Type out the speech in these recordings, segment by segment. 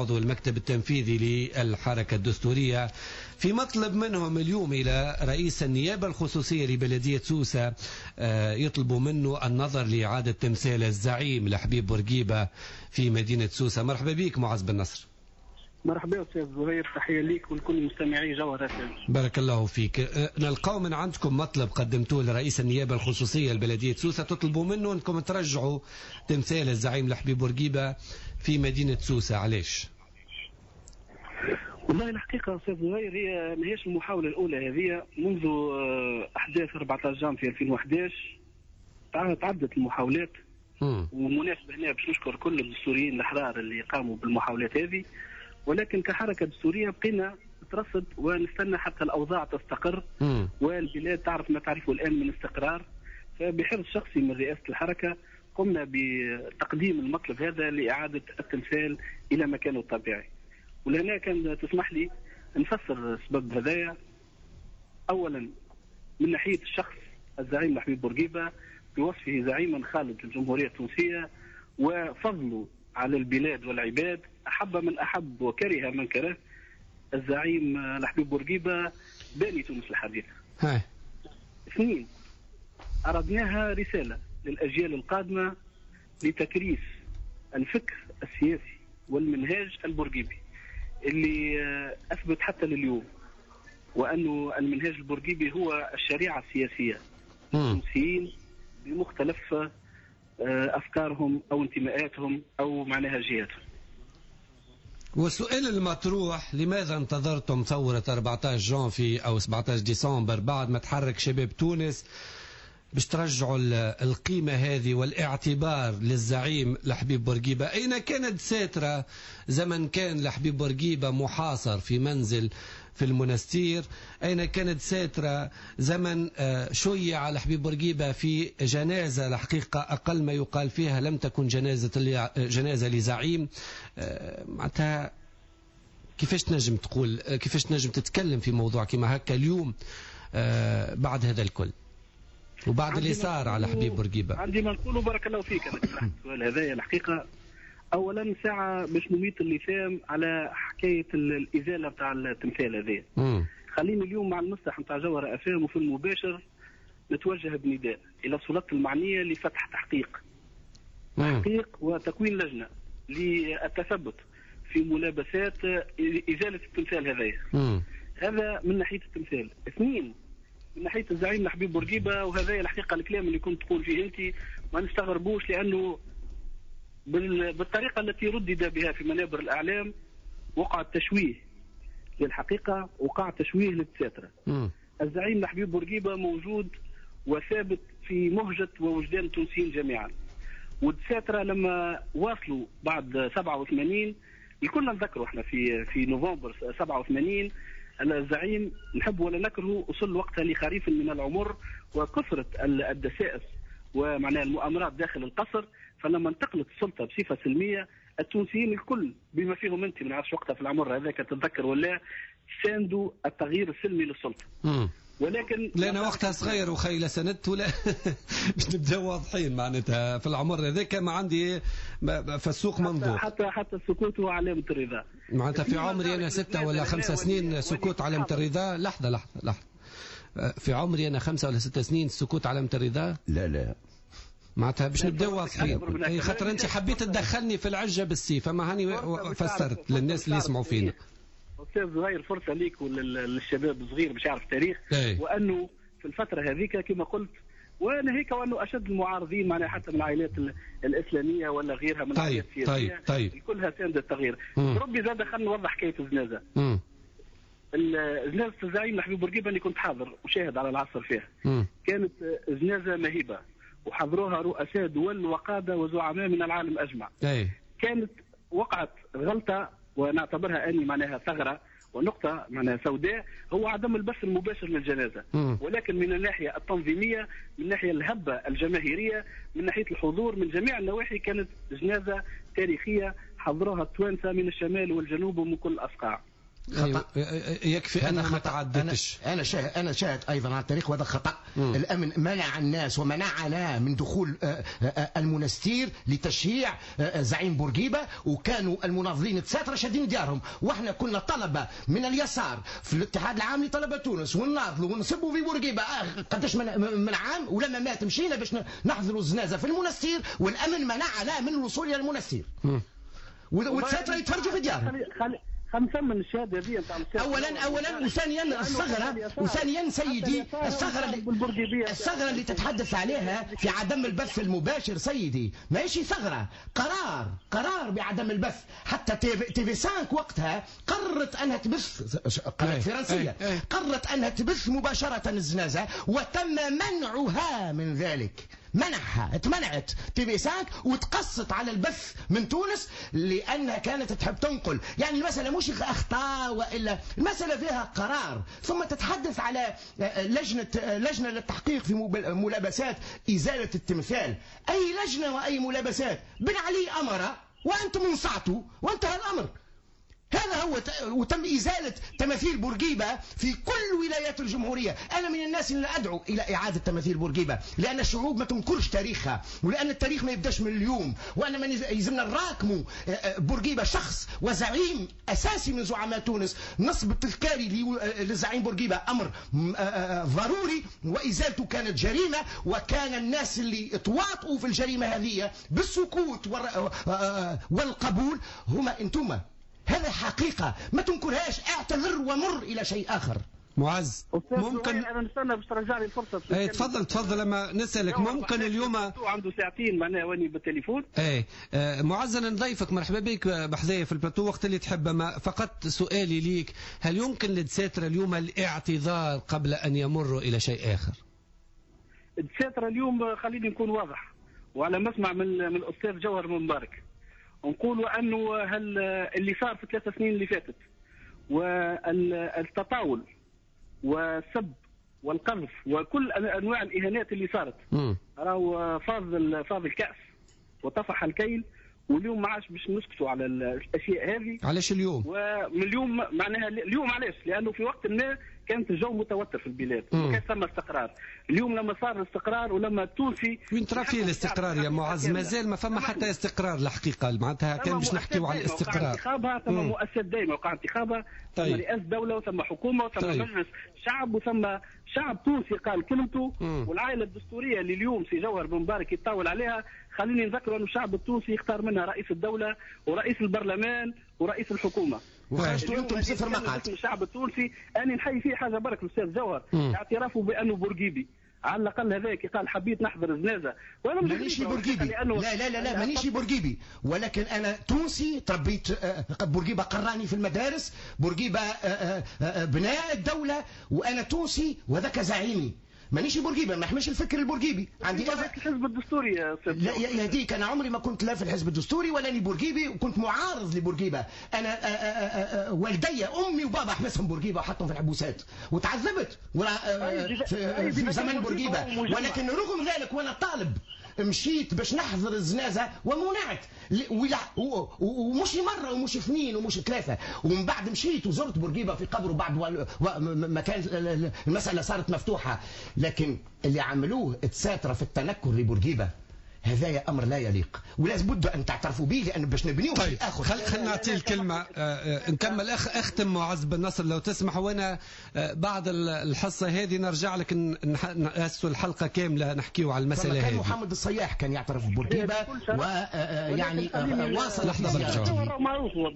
عضو المكتب التنفيذي للحركة الدستورية، في مطلب منهم اليوم إلى رئيس النيابة الخصوصية لبلدية سوسة، يطلبوا منه النظر لإعادة تمثال الزعيم لحبيب بورقيبة في مدينة سوسة. مرحبا بك معز بن نصر. مرحبا أستاذ زهير، تحية ليك ولكل مستمعي جوهرة. بارك الله فيك. نلقاو من عندكم مطلب قدمتوه لرئيس النيابة الخصوصية لبلدية سوسة، تطلبوا منه أنكم ترجعوا تمثال الزعيم لحبيب بورقيبة في مدينة سوسة، علاش؟ والله الحقيقة أستاذ زهير هي ماهيش المحاولة الأولى هذه، منذ أحداث 14 جانفي 2011 تعدت المحاولات. ومناسبة هنا باش نشكر كل الدستوريين الأحرار اللي قاموا بالمحاولات هذه، ولكن كحركة دستورية بقينا نترصد ونستنى حتى الأوضاع تستقر والبلاد تعرف ما تعرفه الآن من استقرار. فبحرص شخصي من رئاسة الحركة قمنا بتقديم المطلب هذا لإعادة التمثال إلى مكانه الطبيعي. ولهنا كان تسمح لي نفسر السبب هذايا. أولا من ناحية الشخص الزعيم الحبيب بورقيبة بوصفه زعيما خالد للجمهورية التونسية وفضله على البلاد والعباد، أحب من أحب وكره من كره، الزعيم الحبيب بورقيبة باني تونس الحديثة. اثنين، أردناها رسالة للأجيال القادمة لتكريس الفكر السياسي والمنهاج البورقيبي اللي أثبت حتى لليوم، وأنه المنهاج البورقيبي هو الشريعة السياسية التونسيين بمختلف أفكارهم أو انتماءاتهم أو معناها جهاتهم. والسؤال المطروح، لماذا انتظرتم ثورة 14 جانفي أو 17 ديسمبر بعد ما تحرك شباب تونس باش ترجعوا القيمة هذه والاعتبار للزعيم لحبيب بورقيبة؟ أين كانت ساترة زمن كان لحبيب بورقيبة محاصر في منزل في المنستير؟ أين كانت ساترة زمن شيع لحبيب بورقيبة في جنازة الحقيقة أقل ما يقال فيها لم تكن جنازة لزعيم؟ معناتها كيفاش تنجم تقول، كيفاش تنجم تتكلم في موضوع كما هكا اليوم بعد هذا الكل وبعد اللي صار على حبيب بورقيبة؟ عندي ما نقوله، بارك الله فيك. انا طرحت السؤال هذايا الحقيقة. اولا ساعة باش نميت اللثام على حكاية الازالة نتاع التمثال هذايا. خليني اليوم مع المسرح نتاع جوهرة افام وفي المباشر نتوجه بنداء الى السلطات المعنية لفتح تحقيق وتكوين لجنة للتثبت في ملابسات ازالة التمثال هذايا. هذا من ناحية التمثال. اثنين، من ناحية الزعيم الحبيب بورقيبة، وهذا الحقيقة الكلام اللي كنت تقول فيه انت ما نستغربوش، لانه بالطريقة التي ردد بها في منابر الاعلام وقع التشويه للحقيقة، وقع تشويه للسترة. الزعيم الحبيب بورقيبة موجود وثابت في مهجه ووجدان التونسيين جميعا. والسترة لما واصلوا بعد 87 الكل نذكروا احنا في نوفمبر 87 الزعيم نحب ولا نكره وصل وقتها لخريف من العمر وكثرة الدسائس ومعناها المؤامرات داخل القصر. فلما انتقلت السلطة بصفة سلمية التونسيين الكل بما فيهم انت، ما نعرفش وقتها في العمر هذاك تتذكر ولا، ساندوا التغيير السلمي للسلطة. ولكن لا انا وقتها صغير وخي لا سندت ولا باش نبداو واضحين، معناتها في العمر هذاك ما عندي فالسوق منظور. حتى السكوت هو علامة الرضا. معناتها في عمري انا 6 ولا 5 سنين سكوت علامة الرضا. لحظة لحظة لحظة، في عمري انا 5 ولا 6 سنين السكوت علامة الرضا؟ لا لا، معناتها باش نبداو واضحين، اي خاطر انت حبيت تدخلني في العجة بالسيف، فما هاني فسرت للناس اللي يسمعوا فينا. أستاذ زهير، فرصة ليك وللشباب الصغير باش يعرف التاريخ. وأنه في الفترة هذيك كما قلت، وناهيك وأنه أشد المعارضين معناها حتى من العائلات الإسلامية ولا غيرها من العائلات السياسية. طيب. كلها ساند التغيير. ربي زاد خلينا نوضح حكاية الجنازة. جنازة الزعيم الحبيب بورقيبة اللي كنت حاضر وشاهد على العصر فيها. كانت جنازة مهيبة وحضروها رؤساء دول وقادة وزعماء من العالم أجمع. كانت وقعت غلطة ونعتبرها اني معناها ثغره ونقطة معناها سوداء، هو عدم البث المباشر للجنازة. ولكن من الناحية التنظيمية، من ناحية الهبة الجماهيرية، من ناحية الحضور، من جميع النواحي كانت جنازه تاريخية حضروها التوانسة من الشمال والجنوب ومن كل الاصقاع. خطأ. يكفي أنها ما تعدتش. أنا شاهد أيضا على التاريخ وهذا خطأ. الأمن منع الناس ومنعنا من دخول المنستير لتشييع زعيم بورقيبة، وكانوا المناضلين التساترة شادين ديارهم، واحنا كنا طلبة من اليسار في الاتحاد العام لطلبة تونس ونناضلوا ونسبوا في بورقيبة قداش من عام، ولما مات مشينا باش نحضروا الزنازة في المنستير، والأمن منعنا من الوصول إلى المنستير. والتساترة يتفرجوا في ديارهم. خمسة من الشهادة هذه نتاع اولا وثانيا الثغرة، وثانيا سيدي الثغرة اللي تتحدث عليها في عدم البث المباشر سيدي ماهيش ثغره، قرار بعدم البث. حتى TV 5 وقتها قررت انها تبث، قناة فرنسية قررت انها تبث مباشرة الزنازه، وتم منعها من ذلك. منعها، اتمنعت TV 5 وتقصت على البث من تونس لانها كانت تحب تنقل. يعني المسالة مش اخطاء والا المسالة فيها قرار. ثم تتحدث على لجنة للتحقيق في ملابسات ازالة التمثال. اي لجنة واي ملابسات؟ بن علي امر وانتم انصعتوا وانتهى الامر. هذا هو. وتم إزالة تماثيل بورقيبة في كل ولايات الجمهورية. أنا من الناس اللي أدعو إلى إعادة تماثيل بورقيبة، لأن الشعوب ما تنكرش تاريخها، ولأن التاريخ ما يبداش من اليوم، وأن من يلزمنا نراكموا بورقيبة شخص وزعيم أساسي من زعماء تونس. نصب التذكاري للزعيم بورقيبة أمر ضروري، وإزالته كانت جريمة، وكان الناس اللي تواطؤوا في الجريمة هذه بالسكوت والقبول هما أنتم. هذا حقيقة ما تنكرهاش، اعتذر ومر إلى شيء آخر. معز ممكن أنا نستنى باش ترجع لي الفرصة. اي تفضل تفضل. لما نسألك ممكن اليوم عنده ساعتين معناها واني بالتليفون. اي معز أنا نضيفك، مرحبا بك بحذايا في البلاتو وقت اللي تحب. ما فقط سؤالي ليك، هل يمكن للدساترة اليوم الاعتذار قبل أن يمروا إلى شيء آخر؟ الدساترة اليوم خليني نكون واضح، وعلى ما اسمع من الأستاذ جوهر مبارك، نقولوا انه هل اللي صار في 3 سنين اللي فاتت والتطاول والسب والقذف وكل انواع الاهانات اللي صارت راهو فاض الكأس وطفح الكيل، واليوم ما عادش باش نسكتوا على الاشياء هذه. علاش اليوم؟ ومن اليوم معناها اليوم علاش؟ لانه في وقت ما كانت الجو متوتر في البلاد وكان ثم استقرار. اليوم لما صار الاستقرار ولما التونسي وين ترى فيه الاستقرار يا معز؟ مازال ما فما حتى استقرار الحقيقة، معناتها كان باش نحكيو على الاستقرار. ثم مؤسسات دائمة وقع انتخابها، ثم رئاسة دولة وثم حكومة وثم مجلس شعب وثم شعب تونسي قال كلمته. والعائلة الدستورية اللي اليوم سي جوهر بن مبارك يتطاول عليها، خليني نذكر أن الشعب التونسي يختار منها رئيس الدولة ورئيس البرلمان ورئيس الحكومة. وخرجتوا انتم بصفر مقعد. الشعب التونسي انا نحيي فيه حاجة برك الاستاذ جوهر، اعترافه بانه بورقيبي على الاقل هذاك قال حبيت نحضر الجنازة. وانا مانيش بورقيبي، لا لا لا لا مانيش بورقيبي، ولكن انا تونسي تربيت، بورقيبة قراني في المدارس، بورقيبة بناء الدولة، وانا تونسي وهذاك زعيمي. مانيش بورقيبة، ما نحملش الفكر البورقيبي. عندي الحزب الدستوري يا استاذ. لا يهديك، انا عمري ما كنت لا في الحزب الدستوري ولا ني بورقيبي، وكنت معارض لبورقيبه. انا والدي امي وبابا حبسهم بورقيبة وحطهم في الحبوسات وتعذبت في زمن بورقيبة، ولكن رغم ذلك وانا طالب مشيت باش نحضر الزنازه ومنعت، ومش مرة ومش اثنين ومش ثلاثة. ومن بعد مشيت وزرت بورقيبة في قبره بعد ما كانت المسالة صارت مفتوحة. لكن اللي عملوه تساتره في التنكر لبورقيبه هذا امر لا يليق، ولا بد ان تعترفوا به، لان باش نبنيو طيب. شيء اخر. خلينا نعطي الكلمة نكمل اختم معز بن نصر لو تسمح، وانا بعد الحصة هذه نرجع لك نأسسوا الحلقة كاملة نحكيو على المسالة هذه. كان محمد الصياح كان يعترف ببورقيبه ويعني واصل. لحظة معروف هو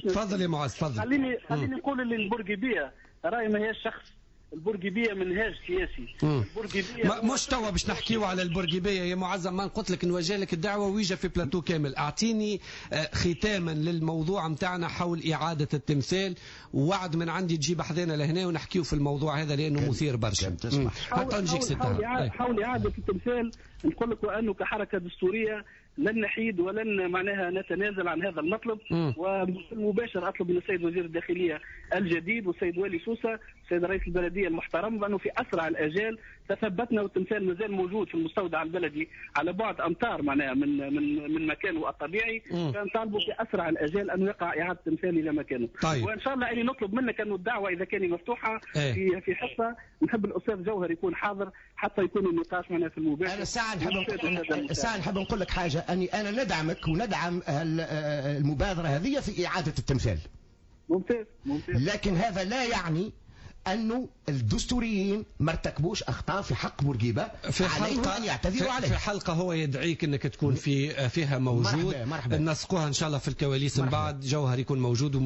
تفضل يا معز تفضل. خليني نقول اللي البورقيبيه راي ما هي شخص، البورقيبية منهاج سياسي. البورقيبية مش توا باش نحكيو على البورقيبية يا معزم، ما قلت لك نوجه لك الدعوة ويجا في بلاتو كامل. أعطيني ختاما للموضوع متاعنا حول إعادة التمثال، ووعد من عندي تجيب حذانا لهنا ونحكيو في الموضوع هذا لأنه مثير برشا. حتى نجيك حول إعادة التمثال نقول لك وأنه كحركة دستورية لن نحيد ولن معناها نتنازل عن هذا المطلب. وبالمباشر اطلب من السيد وزير الداخلية الجديد والسيد والي سوسة السيد رئيس البلدية المحترم بانه في اسرع الاجال تثبتنا والتمثال مازال موجود في المستودع البلدي على بعد امتار معناها من من من مكانه الطبيعي. فنطالبوا في اسرع الاجال ان يقع اعاده التمثال الى مكانه. طيب. وان شاء الله اني نطلب منك انه الدعوة اذا كان مفتوحة في حصة، نحب الاستاذ جوهر يكون حاضر حتى يكون النقاش معنا في المباشر. انا الساعة نحب نقول لك حاجة، اني انا ندعمك وندعم المبادرة هذه في اعاده التمثال. ممتاز ممتاز. لكن هذا لا يعني أنه الدستوريين ما ارتكبوش أخطاء في حق بورقيبة، عليهم أن يعتذروا عليه. في حلقة هو يدعيك أنك تكون فيها موجود. مرحبا مرحبا. نسقوها إن شاء الله في الكواليس من بعد، جوهر يكون موجود.